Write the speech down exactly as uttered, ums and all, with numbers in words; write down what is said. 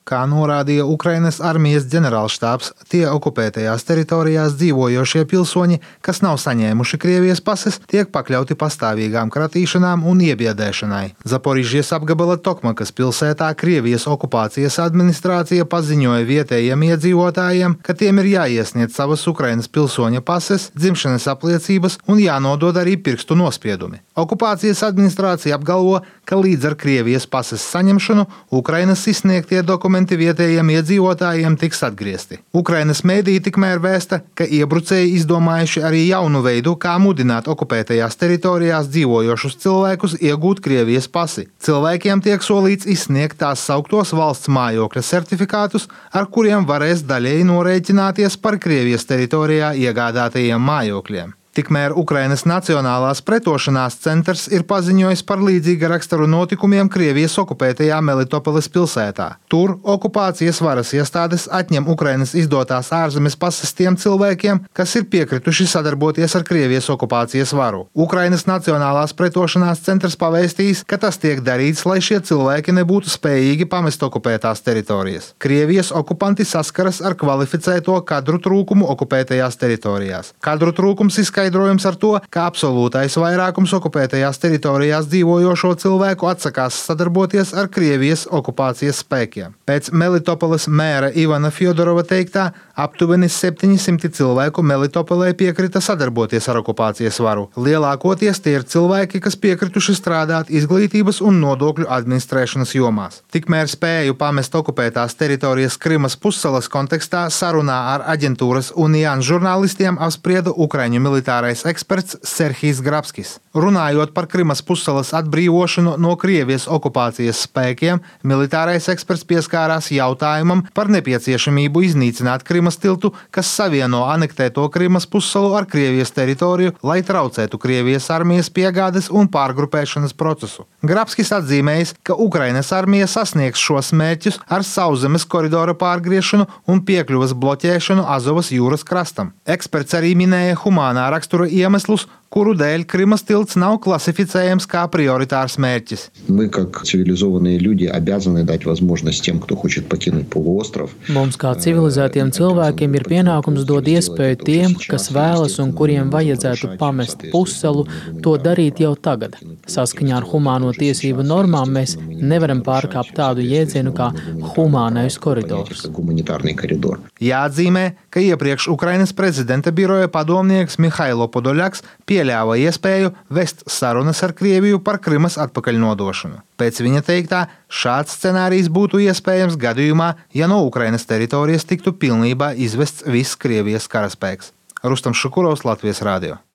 Kā norādīja Ukrainas armijas ģenerālštābs, tie okupētajās teritorijās dzīvojošie pilsoņi, kas nav saņēmuši Krievijas pases, tiek pakļauti pastāvīgām kratīšanām un iebiedēšanai. Zaporižģijas apgabala Tokmakas pilsētā Krievijas okupācijas administrācija paziņoja vietējiem iedzīvotājiem, ka tiem ir jāiesniedz savas Ukrainas pilsoņa pases, dzimšanas apliecības un jānodod arī pirkstu nospiedumi. Okupācijas administrācija apgalvo, ka līdz ar Krievijas pases saņemšanu Ukrainas izsniegtie dokumenti vietējiem iedzīvotājiem tiks atgriezti. Ukrainas mēdī tikmēr vēsta, ka iebrucēji izdomājuši arī jaunu veidu, kā mudināt okupētajās teritorijās dzīvojošus cilvēkus iegūt Krievijas pasi. Cilvēkiem tiek solīts izsniegt tās sauktos valsts mājokļa certifikātus, ar kuriem varēs daļēji norēķināties par Krievijas teritorijā iegādātajiem mājokļiem. Tikmēr Ukrainas Nacionālās pretošanās centrs ir paziņojis par līdzīga rakstura notikumiem Krievijas okupētajā Melitopoles pilsētā. Tur okupācijas varas iestādes atņem Ukrainas izdotās ārzemes pases tiem cilvēkiem, kas ir piekrituši sadarboties ar Krievijas okupācijas varu. Ukrainas Nacionālās pretošanās centrs pavēstījis, ka tas tiek darīts, lai šie cilvēki nebūtu spējīgi pamest okupētās teritorijas. Krievijas okupanti saskaras ar kvalificēto kadru trūkumu okupētajās teritorijās. Kadru trūkums izskaidrojums ar to, ka absolūtais vairākums okupētajās teritorijās dzīvojošo cilvēku atsakās sadarboties ar Krievijas okupācijas spēkiem. Pēc Melitopoles mēra Ivana Fjodorova teiktā, aptuveni septiņi simti cilvēku Melitopolē piekrita sadarboties ar okupācijas varu. Lielākoties tie ir cilvēki, kas piekrituši strādāt izglītības un nodokļu administrēšanas jomās. Tikmēr spēju pamest okupētās teritorijas Krimas pussalas kontekstā sarunā ar aģentūras Unijan žurnālistiem apsprieda Ukraiņu militārais eksperts Serhijs Grabskis. Runājot par Krimas pussalas atbrīvošanu no Krievijas okupācijas spēkiem, militārais eksperts pieskārās jautājumam par nepieciešamību iznīcināt Krimas tiltu, kas savieno anektēto Krimas pussalu ar Krievijas teritoriju, lai traucētu Krievijas armijas piegādes un pārgrupēšanas procesu. Grabskis atzīmējis, ka Ukrainas armija sasniegs šos mērķus ar sauszemes koridora pārgriešanu un piekļuvas bloķēšanu Azovas jūras krastam. Eksperts arī minēja humānā rakstura iemeslus, kuru dēļ Krimas tilts nav классифицējams kā приоритārs mērķis. Мы, как цивилизованные люди, обязаны дать возможность тем, кто хочет покинуть полуостров. Mums, kā civilizētiem cilvēkiem, ir pienākums dot iespēju tiem, kas vēlas un kuriem vajadzētu pamest pussalu, to darīt jau tagad. Saskaņā ar humāno tiesību normām mēs nevaram pārkāpt tādu jēdzienu kā humānais koridors. Jāatzīmē, ka iepriekš Ukrainas prezidenta biroja padomnieks Mihailo Podoļaks pieļāva iespēju vest sarunas ar Krieviju par Krimas atpakaļnodošanu. Pēc viņa teiktā, šāds scenārijs būtu iespējams gadījumā, ja no Ukrainas teritorijas tiktu pilnībā izvests viss Krievijas karaspēks. Rustam Šukurovs, Latvijas radio.